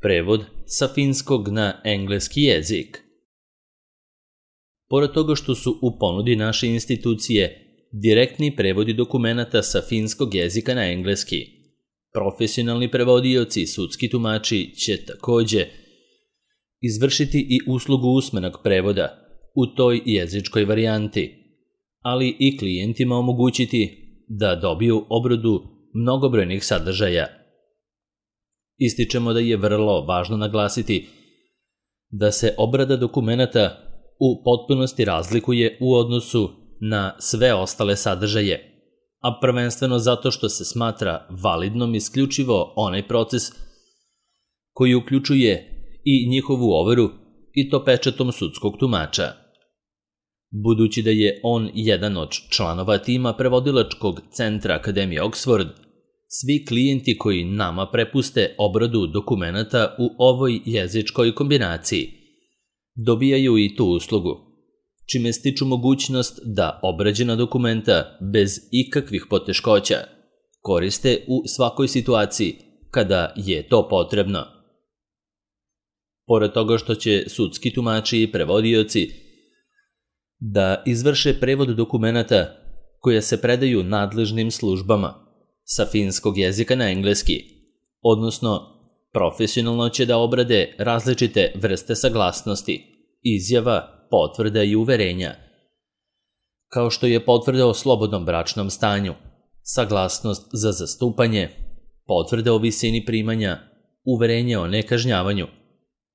Prevod sa finskog na engleski jezik. Pored toga što su u ponudi naše institucije direktni prevodi dokumenata sa finskog jezika na engleski, profesionalni prevodioci i sudski tumači će takođe izvršiti i uslugu usmenog prevoda u toj jezičkoj varijanti, ali i klijentima omogućiti da dobiju obradu mnogobrojnih sadržaja. Ističemo da je vrlo važno naglasiti da se obrada dokumenata u potpunosti razlikuje u odnosu na sve ostale sadržaje, a prvenstveno zato što se smatra validnom isključivo onaj proces koji uključuje i njihovu overu i to pečatom sudskog tumača. Budući da je on jedan od članova tima prevodilačkog centra Akademije Oxford, svi klijenti koji nama prepuste obradu dokumenata u ovoj jezičkoj kombinaciji dobijaju i tu uslugu, čime stiču mogućnost da obrađena dokumenta bez ikakvih poteškoća koriste u svakoj situaciji kada je to potrebno. Pored toga što će sudski tumači i prevodioci da izvrše prevod dokumenata koje se predaju nadležnim službama sa finskog jezika na engleski, odnosno profesionalno će da obrade različite vrste saglasnosti, izjava, potvrda i uverenja, kao što je potvrda o slobodnom bračnom stanju, saglasnost za zastupanje, potvrda o visini primanja, uverenje o nekažnjavanju,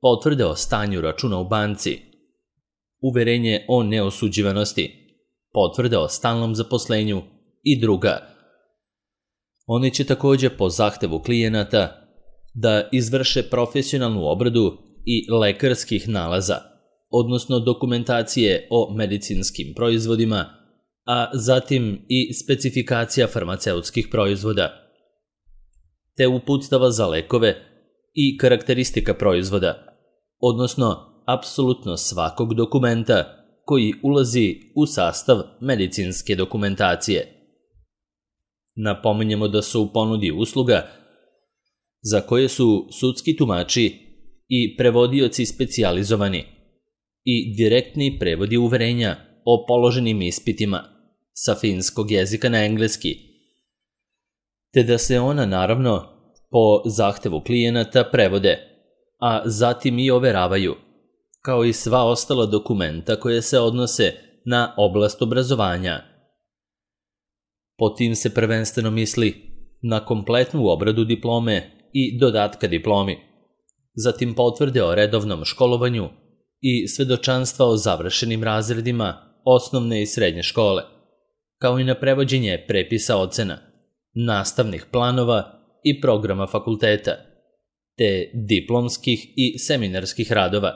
potvrde o stanju računa u banci, uverenje o neosuđivanosti, potvrde o stalnom zaposlenju i druga. Oni će takođe po zahtevu klijenata da izvrše profesionalnu obradu i lekarskih nalaza, odnosno dokumentacije o medicinskim proizvodima, a zatim i specifikacija farmaceutskih proizvoda, te uputstava za lekove i karakteristika proizvoda, odnosno apsolutno svakog dokumenta koji ulazi u sastav medicinske dokumentacije. Napominjemo da su u ponudi usluga za koje su sudski tumači i prevodioci specijalizovani i direktni prevodi uverenja o položenim ispitima sa finskog jezika na engleski, te da se ona naravno po zahtevu klijenata prevode, a zatim i overavaju, kao i sva ostala dokumenta koje se odnose na oblast obrazovanja. Po tim se prvenstveno misli na kompletnu obradu diplome i dodatka diplomi, zatim potvrde o redovnom školovanju i svedočanstva o završenim razredima osnovne i srednje škole, kao i na prevođenje prepisa ocena, nastavnih planova i programa fakulteta, te diplomskih i seminarskih radova,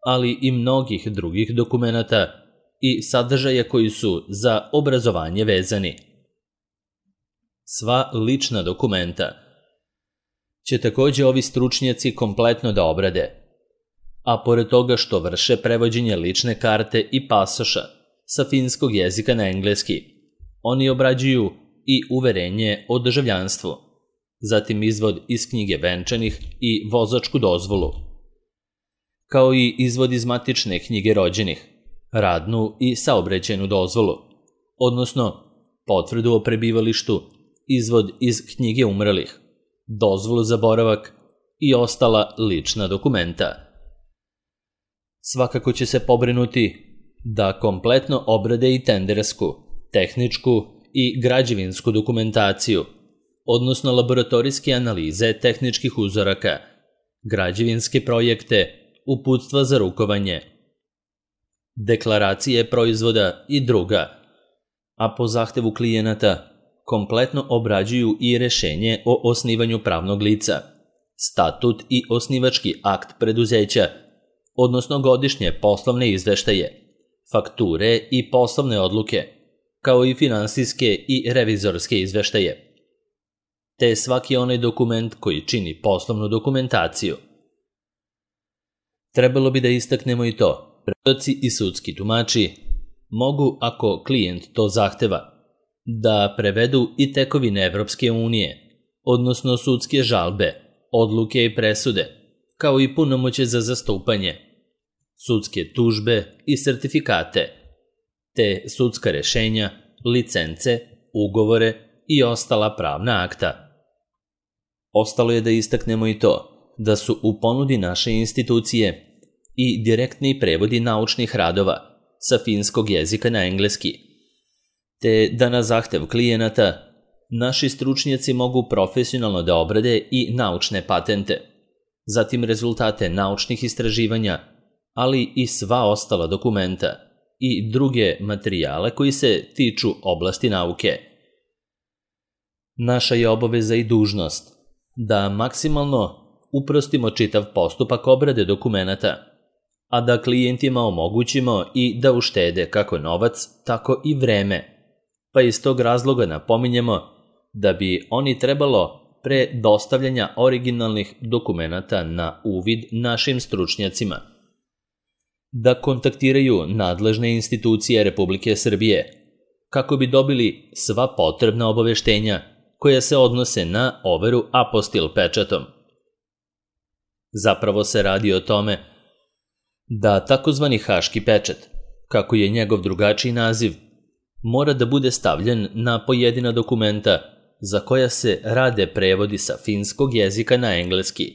ali i mnogih drugih dokumenata i sadržaja koji su za obrazovanje vezani. Sva lična dokumenta će takođe ovi stručnjaci kompletno da obrade, a pored toga što vrše prevođenje lične karte i pasoša sa finskog jezika na engleski, oni obrađuju i uverenje o državljanstvu, zatim izvod iz knjige venčanih i vozačku dozvolu, kao i izvod iz matične knjige rođenih, radnu i saobraćajnu dozvolu, odnosno potvrdu o prebivalištu, izvod iz knjige umrlih, dozvolu za boravak i ostala lična dokumenta. Svakako će se pobrinuti da kompletno obrade i tendersku, tehničku i građevinsku dokumentaciju, odnosno laboratorijske analize tehničkih uzoraka, građevinske projekte, uputstva za rukovanje, deklaracije proizvoda i druga, a po zahtevu klijenata kompletno obrađuju i rešenje o osnivanju pravnog lica, statut i osnivački akt preduzeća, odnosno godišnje poslovne izveštaje, fakture i poslovne odluke, kao i finansijske i revizorske izveštaje, te svaki onaj dokument koji čini poslovnu dokumentaciju. Trebalo bi da istaknemo i to, prevodioci i sudski tumači mogu, ako klijent to zahteva, da prevedu i tekovine Evropske unije, odnosno sudske žalbe, odluke i presude, kao i punomoćje za zastupanje, sudske tužbe i sertifikate, te sudska rešenja, licence, ugovore i ostala pravna akta. Ostalo je da istaknemo i to da su u ponudi naše institucije i direktni prevodi naučnih radova sa finskog jezika na engleski, te da na zahtev klijenata naši stručnjaci mogu profesionalno da obrade i naučne patente, zatim rezultate naučnih istraživanja, ali i sva ostala dokumenta i druge materijale koji se tiču oblasti nauke. Naša je obaveza i dužnost da maksimalno uprostimo čitav postupak obrade dokumenata, a da klijentima omogućimo i da uštede kako novac, tako i vreme, pa iz tog razloga napominjemo da bi oni trebalo pre dostavljanja originalnih dokumenata na uvid našim stručnjacima da kontaktiraju nadležne institucije Republike Srbije kako bi dobili sva potrebna obaveštenja koja se odnose na overu apostil pečatom. Zapravo se radi o tome da takozvani haški pečat, kako je njegov drugačiji naziv, mora da bude stavljen na pojedina dokumenta za koja se rade prevodi sa finskog jezika na engleski,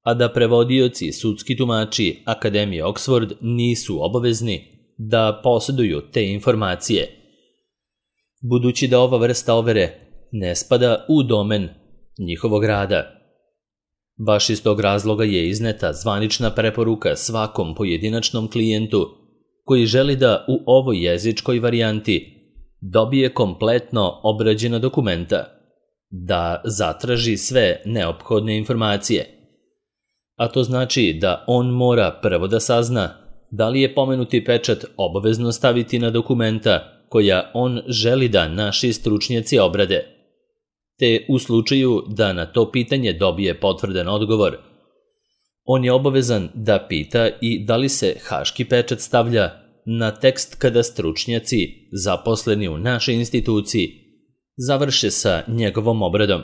a da prevodioci i sudski tumači Akademije Oxford nisu obavezni da posjeduju te informacije, budući da ova vrsta overe ne spada u domen njihovog rada. Baš iz tog razloga je izneta zvanična preporuka svakom pojedinačnom klijentu koji želi da u ovoj jezičkoj varijanti dobije kompletno obrađena dokumenta, da zatraži sve neophodne informacije. A to znači da on mora prvo da sazna da li je pomenuti pečat obavezno staviti na dokumenta koja on želi da naši stručnjaci obrade, te u slučaju da na to pitanje dobije potvrdan odgovor, on je obavezan da pita i da li se haški pečat stavlja na tekst kada stručnjaci zaposleni u našoj instituciji završe sa njegovom obradom,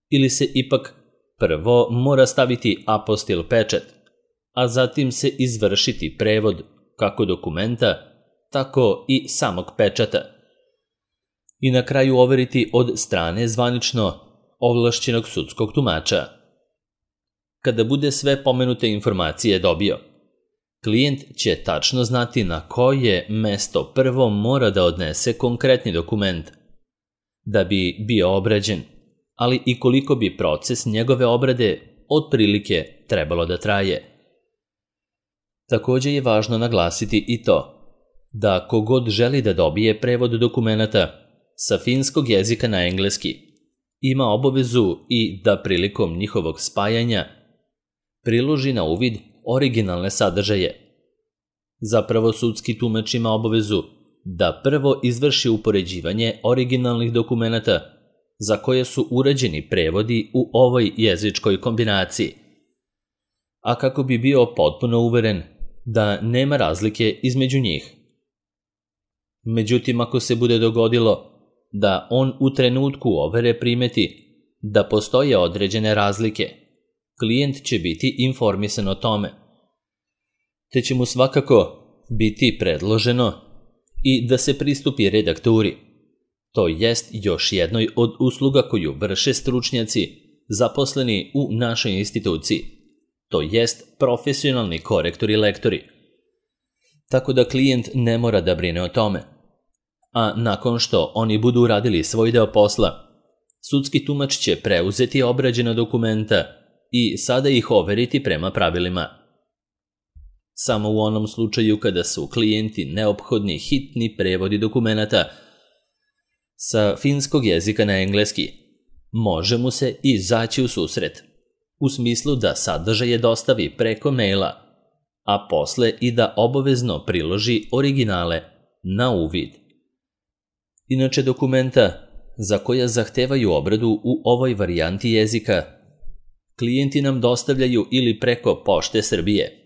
ili se ipak prvo mora staviti apostil pečat, a zatim se izvršiti prevod kako dokumenta, tako i samog pečata, i na kraju overiti od strane zvanično ovlašćenog sudskog tumača. Kada bude sve pomenute informacije dobio, klijent će tačno znati na koje mesto prvo mora da odnese konkretni dokument da bi bio obrađen, ali i koliko bi proces njegove obrade otprilike trebalo da traje. Također je važno naglasiti i to da kogod želi da dobije prevod dokumenata sa finskog jezika na engleski ima obavezu i da prilikom njihovog spajanja priloži na uvid originalne sadržaje. Zapravo sudski tumač ima obavezu da prvo izvrši upoređivanje originalnih dokumenata za koje su urađeni prevodi u ovoj jezičkoj kombinaciji, a kako bi bio potpuno uveren da nema razlike između njih. Međutim, ako se bude dogodilo da on u trenutku overe primeti da postoje određene razlike, klijent će biti informisan o tome, te će mu svakako biti predloženo i da se pristupi redakturi, to jest još jednoj od usluga koju vrše stručnjaci zaposleni u našoj instituciji, to jest profesionalni korektori i lektori. Tako da klijent ne mora da brine o tome. A nakon što oni budu uradili svoj deo posla, sudski tumač će preuzeti obrađena dokumenta i sada ih overiti prema pravilima. Samo u onom slučaju kada su klijenti neophodni hitni prevodi dokumenata sa finskog jezika na engleski, može mu se izaći u susret, u smislu da sadržaje dostavi preko maila, a posle i da obavezno priloži originale na uvid. Inače, dokumenta za koja zahtevaju obradu u ovoj varijanti jezika klijenti nam dostavljaju ili preko Pošte Srbije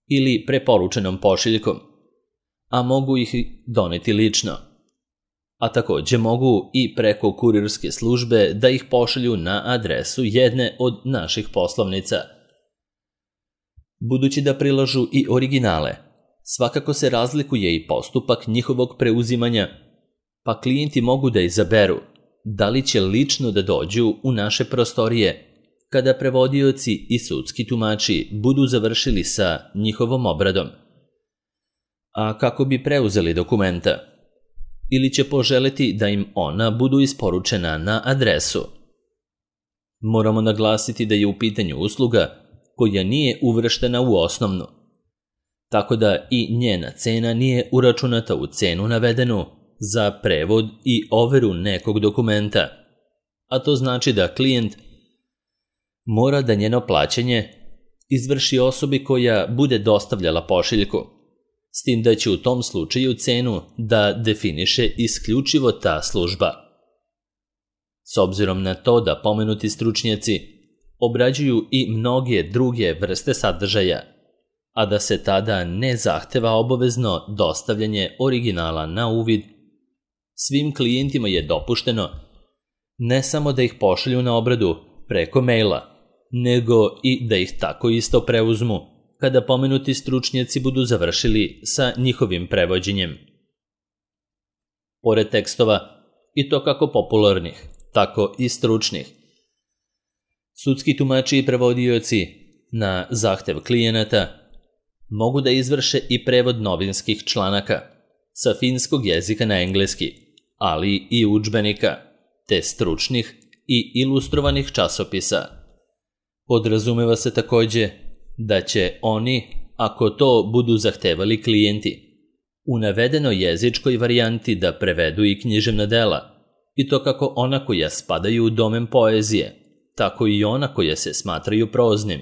ili preporučenom pošiljkom, a mogu ih doneti lično. A također mogu i preko kurirske službe da ih pošalju na adresu jedne od naših poslovnica. Budući da prilažu i originale, svakako se razlikuje i postupak njihovog preuzimanja, pa klijenti mogu da izaberu da li će lično da dođu u naše prostorije kada prevodioci i sudski tumači budu završili sa njihovom obradom, a kako bi preuzeli dokumenta, ili će poželeti da im ona budu isporučena na adresu. Moramo naglasiti da je u pitanju usluga koja nije uvrštena u osnovnu, tako da i njena cena nije uračunata u cenu navedenu za prevod i overu nekog dokumenta, a to znači da klijent mora da njeno plaćanje izvrši osobi koja bude dostavljala pošiljku, s tim da će u tom slučaju cenu da definiše isključivo ta služba. S obzirom na to da pomenuti stručnjaci obrađuju i mnoge druge vrste sadržaja, a da se tada ne zahteva obavezno dostavljanje originala na uvid, svim klijentima je dopušteno ne samo da ih pošalju na obradu preko maila, nego i da ih tako isto preuzmu kada pomenuti stručnjaci budu završili sa njihovim prevođenjem. Pored tekstova, i to kako popularnih, tako i stručnih, sudski tumači i prevodioci na zahtev klijenata mogu da izvrše i prevod novinskih članaka sa finskog jezika na engleski, ali i udžbenika, te stručnih i ilustrovanih časopisa. Podrazumeva se takođe da će oni, ako to budu zahtevali klijenti, u navedenoj jezičkoj varijanti da prevedu i književna dela, i to kako ona koja spadaju u domen poezije, tako i ona koja se smatraju proznim.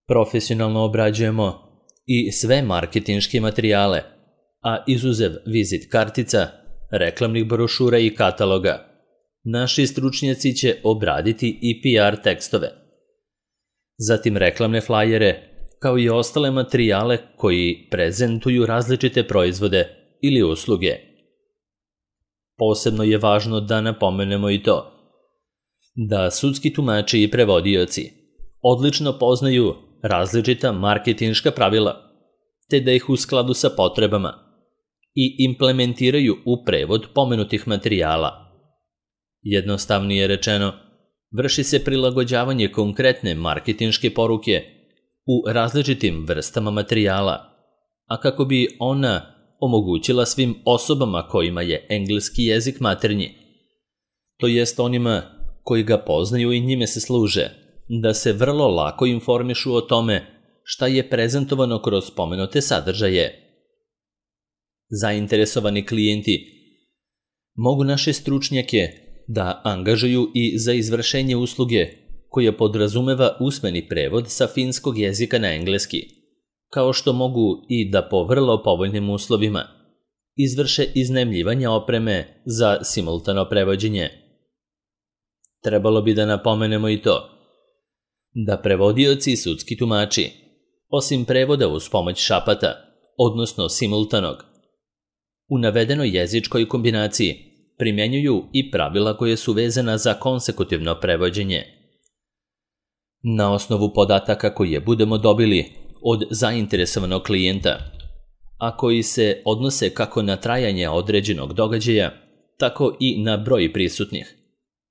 Profesionalno obrađujemo i sve marketinške materijale, a izuzev vizit kartica, reklamnih brošura i kataloga, naši stručnjaci će obraditi i PR tekstove, zatim reklamne flajere, kao i ostale materijale koji prezentuju različite proizvode ili usluge. Posebno je važno da napomenemo i to da sudski tumači i prevodioci odlično poznaju različita marketinška pravila, te da ih u skladu sa potrebama i implementiraju u prevod pomenutih materijala. Jednostavnije rečeno, vrši se prilagođavanje konkretne marketinške poruke u različitim vrstama materijala, a kako bi ona omogućila svim osobama kojima je engleski jezik maternji, to jest onima koji ga poznaju i njime se služe, da se vrlo lako informišu o tome šta je prezentovano kroz pomenute sadržaje. Zainteresovani klijenti mogu naše stručnjake da angažuju i za izvršenje usluge koja podrazumeva usmeni prevod sa finskog jezika na engleski, kao što mogu i da po vrlo povoljnim uslovima izvrše iznajmljivanje opreme za simultano prevođenje. Trebalo bi da napomenemo i to da prevodioci i sudski tumači, osim prevoda uz pomoć šapata, odnosno simultanog, u navedenoj jezičkoj kombinaciji primjenjuju i pravila koje su vezana za konsekutivno prevođenje. Na osnovu podataka koje budemo dobili od zainteresovanog klijenta, a koji se odnose kako na trajanje određenog događaja, tako i na broj prisutnih,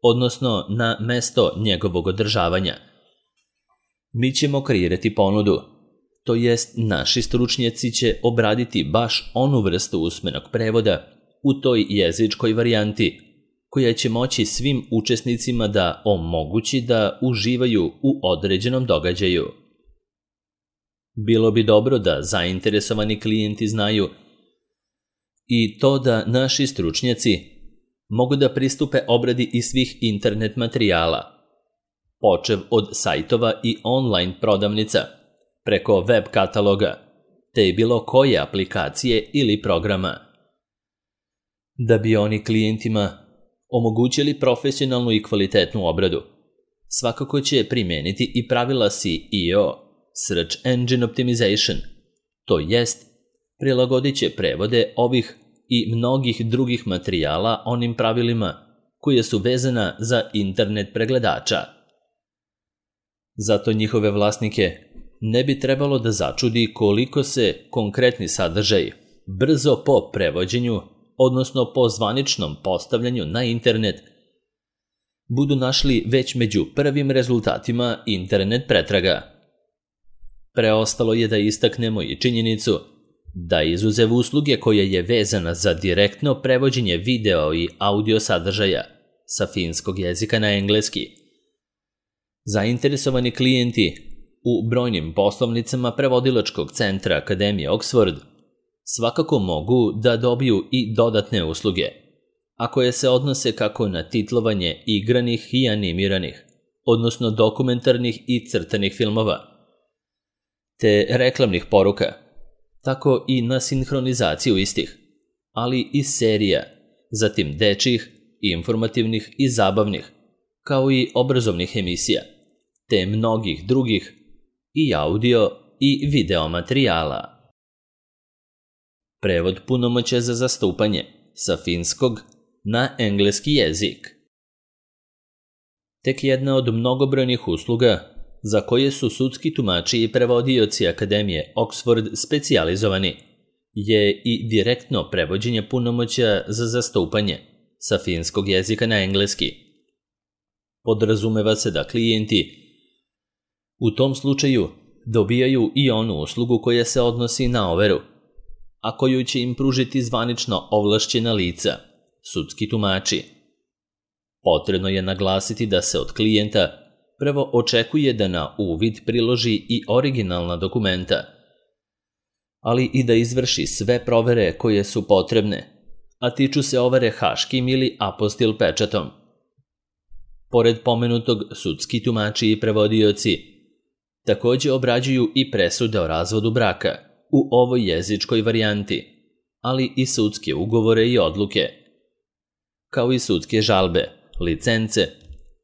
odnosno na mesto njegovog održavanja, mi ćemo kreirati ponudu, to jest naši stručnjaci će obraditi baš onu vrstu usmenog prevoda u toj jezičkoj varijanti koja će moći svim učesnicima da omogući da uživaju u određenom događaju. Bilo bi dobro da zainteresovani klijenti znaju i to da naši stručnjaci mogu da pristupe obradi i svih internet materijala, počev od sajtova i online prodavnica, preko web kataloga, te bilo koje aplikacije ili programa. Da bi oni klijentima omogućili profesionalnu i kvalitetnu obradu, svakako će primeniti i pravila SEO, Search Engine Optimization, to jest prilagodit će prevode ovih i mnogih drugih materijala onim pravilima koje su vezana za internet pregledača. Zato njihove vlasnike ne bi trebalo da začudi koliko se konkretni sadržaj brzo po prevođenju, odnosno po zvaničnom postavljanju na internet, budu našli već među prvim rezultatima internet pretraga. Preostalo je da istaknemo i činjenicu da izuzev usluge koja je vezana za direktno prevođenje video i audio sadržaja sa finskog jezika na engleski, zainteresovani klijenti u brojnim poslovnicama prevodilačkog centra Akademije Oxford svakako mogu da dobiju i dodatne usluge, a koje se odnose kako na titlovanje igranih i animiranih, odnosno dokumentarnih i crtanih filmova, te reklamnih poruka, tako i na sinhronizaciju istih, ali i serija, zatim dečjih, informativnih i zabavnih, kao i obrazovnih emisija, te mnogih drugih i audio i video materijala. Prevod punomoćja za zastupanje sa finskog na engleski jezik. Tek jedna od mnogobrojnih usluga za koje su sudski tumači i prevodioci Akademije Oxford specijalizovani je i direktno prevođenje punomoćja za zastupanje sa finskog jezika na engleski. Podrazumeva se da klijenti u tom slučaju dobijaju i onu uslugu koja se odnosi na overu, a koju će im pružiti zvanično ovlašćena lica, sudski tumači. Potrebno je naglasiti da se od klijenta prvo očekuje da na uvid priloži i originalna dokumenta, ali i da izvrši sve provere koje su potrebne, a tiču se overe haškim ili apostil pečatom. Pored pomenutog, sudski tumači i prevodioci takođe obrađuju i presude o razvodu braka u ovoj jezičkoj varijanti, ali i sudske ugovore i odluke, kao i sudske žalbe, licence,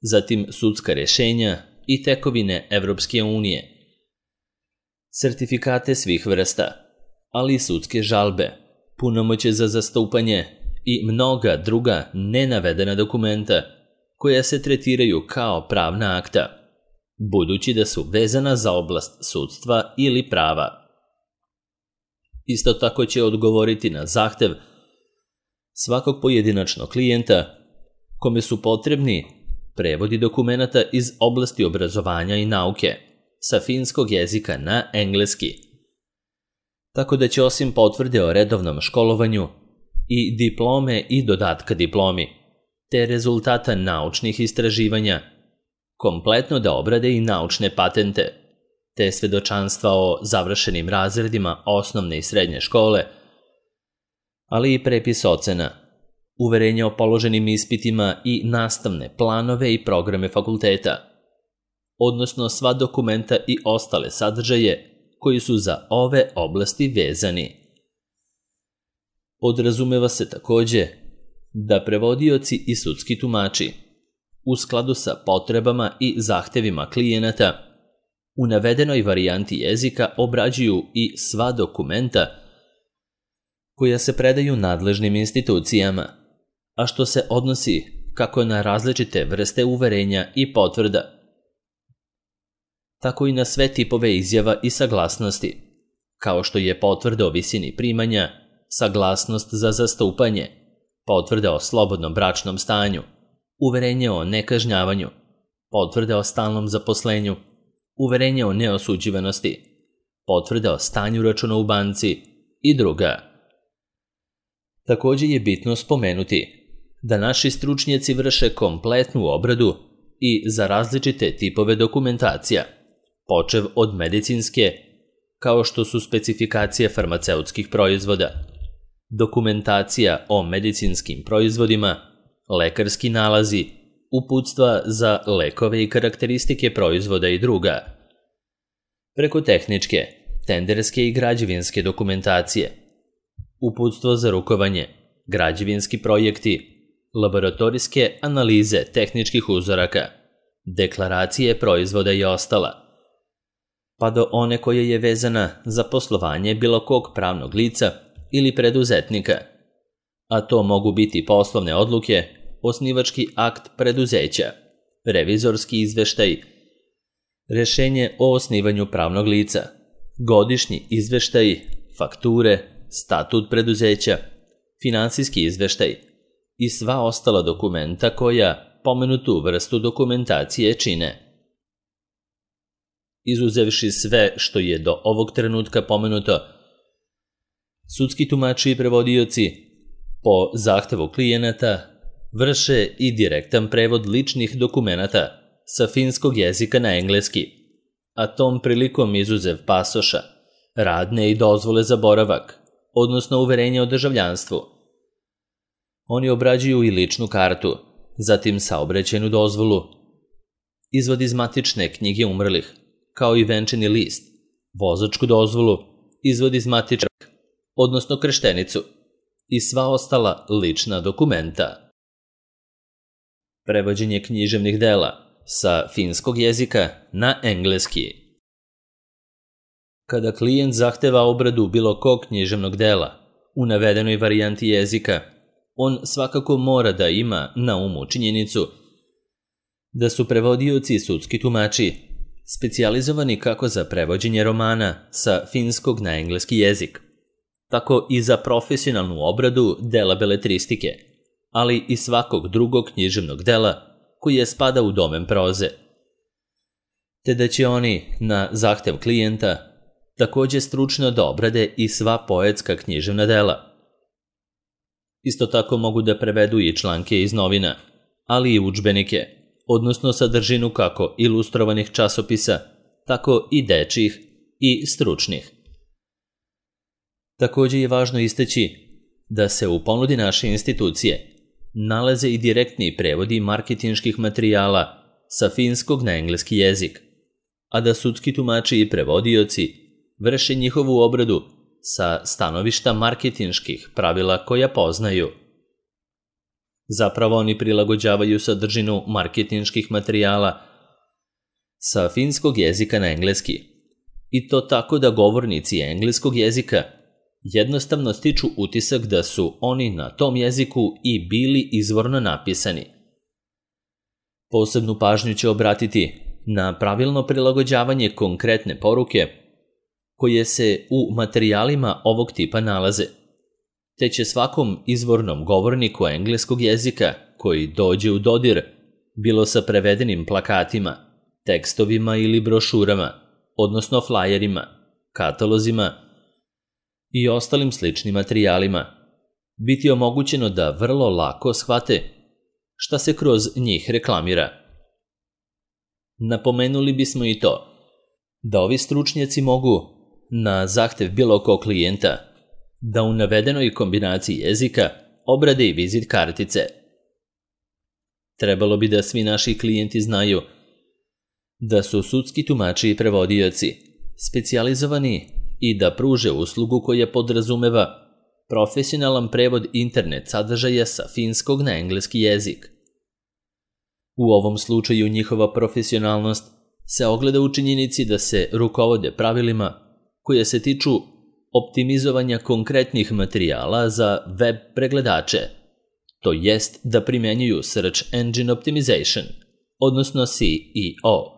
zatim sudska rešenja i tekovine Evropske unije, sertifikate svih vrsta, ali i sudske žalbe, punomoćje za zastupanje i mnoga druga nenavedena dokumenta koja se tretiraju kao pravna akta, budući da su vezana za oblast sudstva ili prava. Isto tako će odgovoriti na zahtev svakog pojedinačnog klijenta kome su potrebni prevodi dokumenata iz oblasti obrazovanja i nauke sa finskog jezika na engleski. Tako da će osim potvrde o redovnom školovanju i diplome i dodatka diplomi, te rezultata naučnih istraživanja, kompletno da obrade i naučne patente, te svedočanstva o završenim razredima osnovne i srednje škole, ali i prepis ocena, uverenje o položenim ispitima i nastavne planove i programe fakulteta, odnosno sva dokumenta i ostale sadržaje koji su za ove oblasti vezani. Podrazumeva se takođe da prevodioci i sudski tumači, u skladu sa potrebama i zahtevima klijenata, u navedenoj varijanti jezika obrađuju i sva dokumenta koja se predaju nadležnim institucijama, a što se odnosi kako na različite vrste uverenja i potvrda, tako i na sve tipove izjava i saglasnosti, kao što je potvrda o visini primanja, saglasnost za zastupanje, potvrda o slobodnom bračnom stanju, uverenje o nekažnjavanju, potvrda o stalnom zaposlenju, uverenje o neosuđivanosti, potvrda o stanju računa u banci i druga. Takođe je bitno spomenuti da naši stručnjaci vrše kompletnu obradu i za različite tipove dokumentacija, počev od medicinske, kao što su specifikacije farmaceutskih proizvoda, dokumentacija o medicinskim proizvodima, lekarski nalazi, uputstva za lekove i karakteristike proizvoda i druga, preko tehničke, tenderske i građevinske dokumentacije, uputstvo za rukovanje, građevinski projekti, laboratorijske analize tehničkih uzoraka, deklaracije proizvoda i ostala, pa do one koja je vezana za poslovanje bilo kog pravnog lica ili preduzetnika, a to mogu biti poslovne odluke, osnivački akt preduzeća, revizorski izveštaj, rešenje o osnivanju pravnog lica, godišnji izveštaj, fakture, statut preduzeća, finansijski izveštaj i sva ostala dokumenta koja pomenutu vrstu dokumentacije čine. Izuzevši sve što je do ovog trenutka pomenuto, sudski tumači i prevodioci po zahtevu klijenata vrše i direktan prevod ličnih dokumenata sa finskog jezika na engleski, a tom prilikom izuzev pasoša, radne i dozvole za boravak, odnosno uverenja o državljanstvu. Oni obrađuju i ličnu kartu, zatim saobraćajnu dozvolu, izvod iz matične knjige umrlih, kao i venčani list, vozačku dozvolu, izvod iz matične, odnosno krštenicu i sva ostala lična dokumenta. Prevođenje književnih dela sa finskog jezika na engleski. Kada klijent zahteva obradu bilo kog književnog dela u navedenoj varijanti jezika, on svakako mora da ima na umu činjenicu da su prevodioci i sudski tumači specijalizovani kako za prevođenje romana sa finskog na engleski jezik, tako i za profesionalnu obradu dela beletristike, ali i svakog drugog književnog dela koje spada u domen proze, te da će oni, na zahtev klijenta, takođe stručno da obrade i sva poetska književna dela. Isto tako mogu da prevedu i članke iz novina, ali i udžbenike, odnosno sadržinu kako ilustrovanih časopisa, tako i dečjih i stručnih. Takođe je važno istaći da se u ponudi naše institucije nalaze i direktni prevodi marketinških materijala sa finskog na engleski jezik, a da sudski tumači i prevodioci vrše njihovu obradu sa stanovišta marketinških pravila koja poznaju. Zapravo oni prilagođavaju sadržinu marketinških materijala sa finskog jezika na engleski, i to tako da govornici engleskog jezika jednostavno stiču utisak da su oni na tom jeziku i bili izvorno napisani. Posebnu pažnju će obratiti na pravilno prilagođavanje konkretne poruke koje se u materijalima ovog tipa nalaze, te će svakom izvornom govorniku engleskog jezika koji dođe u dodir, bilo sa prevedenim plakatima, tekstovima ili brošurama, odnosno flajerima, katalozima i ostalim sličnim materijalima, biti omogućeno da vrlo lako shvate šta se kroz njih reklamira. Napomenuli bismo i to da ovi stručnjaci mogu, na zahtev bilo kog klijenta, da u navedenoj kombinaciji jezika obrade i vizit kartice. Trebalo bi da svi naši klijenti znaju da su sudski tumači i prevodioci specijalizovani i da pruže uslugu koja podrazumeva profesionalan prevod internet sadržaja sa finskog na engleski jezik. U ovom slučaju njihova profesionalnost se ogleda u činjenici da se rukovode pravilima koje se tiču optimizovanja konkretnih materijala za web pregledače, to jest da primenjuju Search Engine Optimization, odnosno SEO.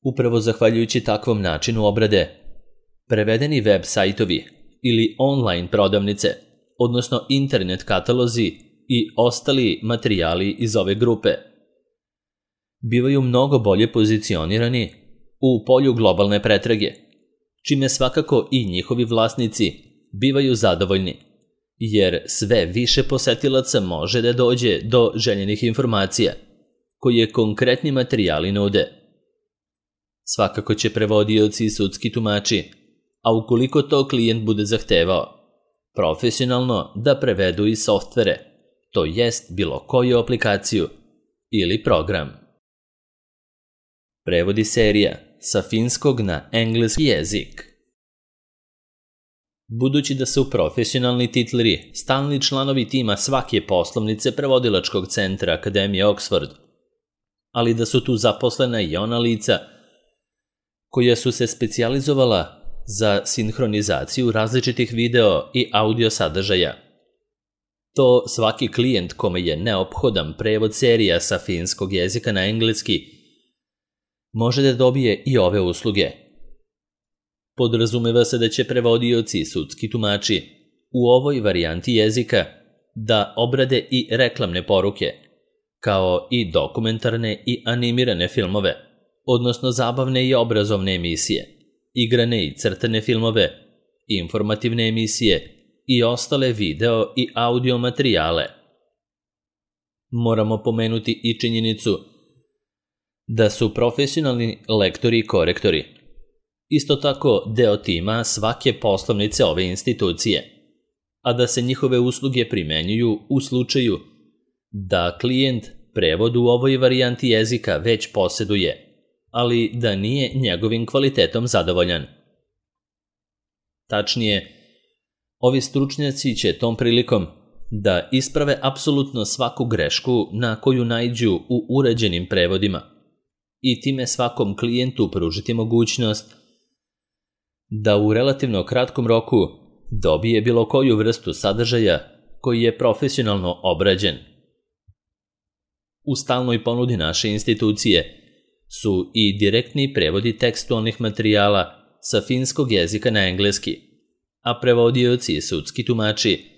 Upravo zahvaljujući takvom načinu obrade, prevedeni web sajtovi ili online prodavnice, odnosno internet katalozi i ostali materijali iz ove grupe, bivaju mnogo bolje pozicionirani u polju globalne pretrage, čime svakako i njihovi vlasnici bivaju zadovoljni, jer sve više posetilaca može da dođe do željenih informacija, koje konkretni materijali nude. Svakako će prevodioci i sudski tumači, a ukoliko to klijent bude zahtevao, profesionalno da prevedu i softvere, to jest bilo koju aplikaciju ili program. Prevodi serija sa finskog na engleski jezik. Budući da su profesionalni titleri stalni članovi tima svake poslovnice prevodilačkog centra Akademije Oxford, ali da su tu zaposlena i ona lica koja su se specijalizovala za sinhronizaciju različitih video i audio sadržaja. To svaki klijent kome je neophodan prevod serija sa finskog jezika na engleski može da dobije i ove usluge. Podrazumeva se da će prevodioci i sudski tumači u ovoj varijanti jezika da obrade i reklamne poruke, kao i dokumentarne i animirane filmove, odnosno zabavne i obrazovne emisije, igrane i crtane filmove, informativne emisije i ostale video i audio materijale. Moramo pomenuti i činjenicu da su profesionalni lektori i korektori isto tako deo tima svake poslovnice ove institucije, a da se njihove usluge primenjuju u slučaju da klijent prevod u ovoj varijanti jezika već poseduje, ali da nije njegovim kvalitetom zadovoljan. Tačnije, ovi stručnjaci će tom prilikom da isprave apsolutno svaku grešku na koju naiđu u urađenim prevodima i time svakom klijentu pružiti mogućnost da u relativno kratkom roku dobije bilo koju vrstu sadržaja koji je profesionalno obrađen. U stalnoj ponudi naše institucije su i direktni prevodi tekstualnih materijala sa finskog jezika na engleski, a prevodioci i sudski tumači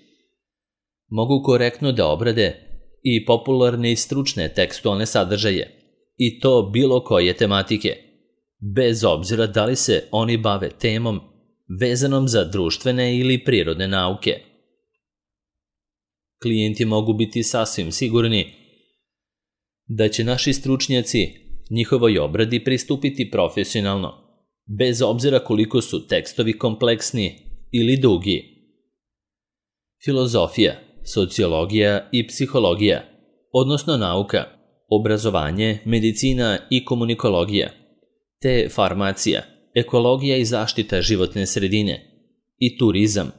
mogu korektno da obrade i popularne i stručne tekstualne sadržaje, i to bilo koje tematike, bez obzira da li se oni bave temom vezanom za društvene ili prirodne nauke. Klijenti mogu biti sasvim sigurni da će naši stručnjaci njihovoj obradi pristupiti profesionalno, bez obzira koliko su tekstovi kompleksni ili dugi. Filozofija, sociologija i psihologija, odnosno nauka, obrazovanje, medicina i komunikologija, te farmacija, ekologija i zaštita životne sredine i turizam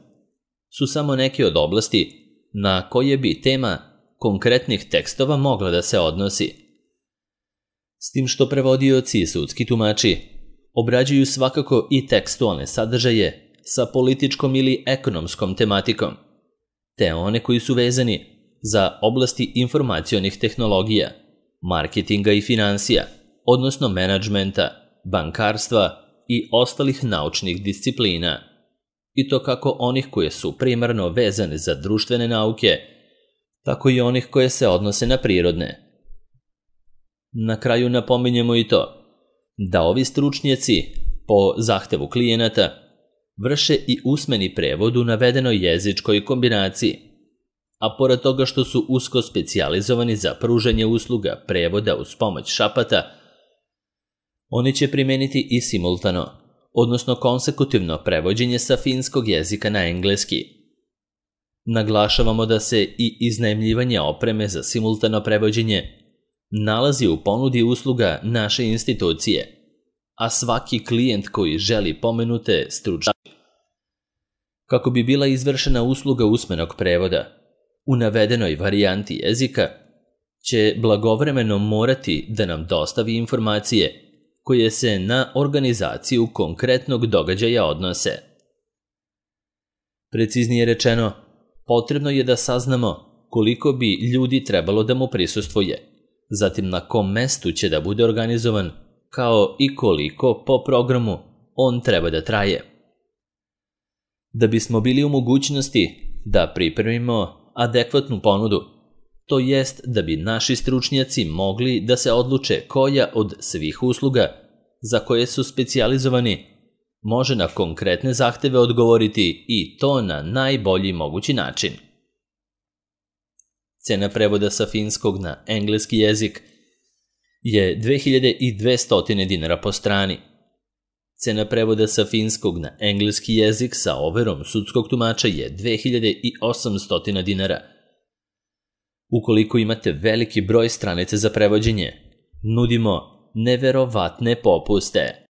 su samo neke od oblasti na koje bi tema konkretnih tekstova mogla da se odnosi. S tim što prevodioci i sudski tumači obrađuju svakako i tekstualne sadržaje sa političkom ili ekonomskom tematikom, te one koji su vezani za oblasti informacionih tehnologija, marketinga i finansija, odnosno menadžmenta, bankarstva i ostalih naučnih disciplina, i to kako onih koje su primarno vezane za društvene nauke, tako i onih koje se odnose na prirodne. Na kraju napominjemo i to da ovi stručnjaci po zahtevu klijenata vrše i usmeni prevod u navedenoj jezičkoj kombinaciji, a pored toga što su usko specijalizovani za pružanje usluga prevoda uz pomoć šapata, oni će primeniti i simultano, odnosno konsekutivno prevođenje sa finskog jezika na engleski. Naglašavamo da se i iznajmljivanje opreme za simultano prevođenje nalazi u ponudi usluga naše institucije, a svaki klijent koji želi pomenute stručnjake kako bi bila izvršena usluga usmenog prevoda u navedenoj varijanti jezika će blagovremeno morati da nam dostavi informacije koje se na organizaciju konkretnog događaja odnose. Preciznije rečeno, potrebno je da saznamo koliko bi ljudi trebalo da mu prisustvuje, zatim na kom mestu će da bude organizovan, kao i koliko po programu on treba da traje. Da bismo bili u mogućnosti da pripremimo adekvatnu ponudu, to jest da bi naši stručnjaci mogli da se odluče koja od svih usluga za koje su specijalizovani može na konkretne zahteve odgovoriti i to na najbolji mogući način. Cena prevoda sa finskog na engleski jezik je 2200 dinara po strani. Cena prevoda sa finskog na engleski jezik sa overom sudskog tumača je 2800 dinara. Ukoliko imate veliki broj stranica za prevođenje, nudimo neverovatne popuste.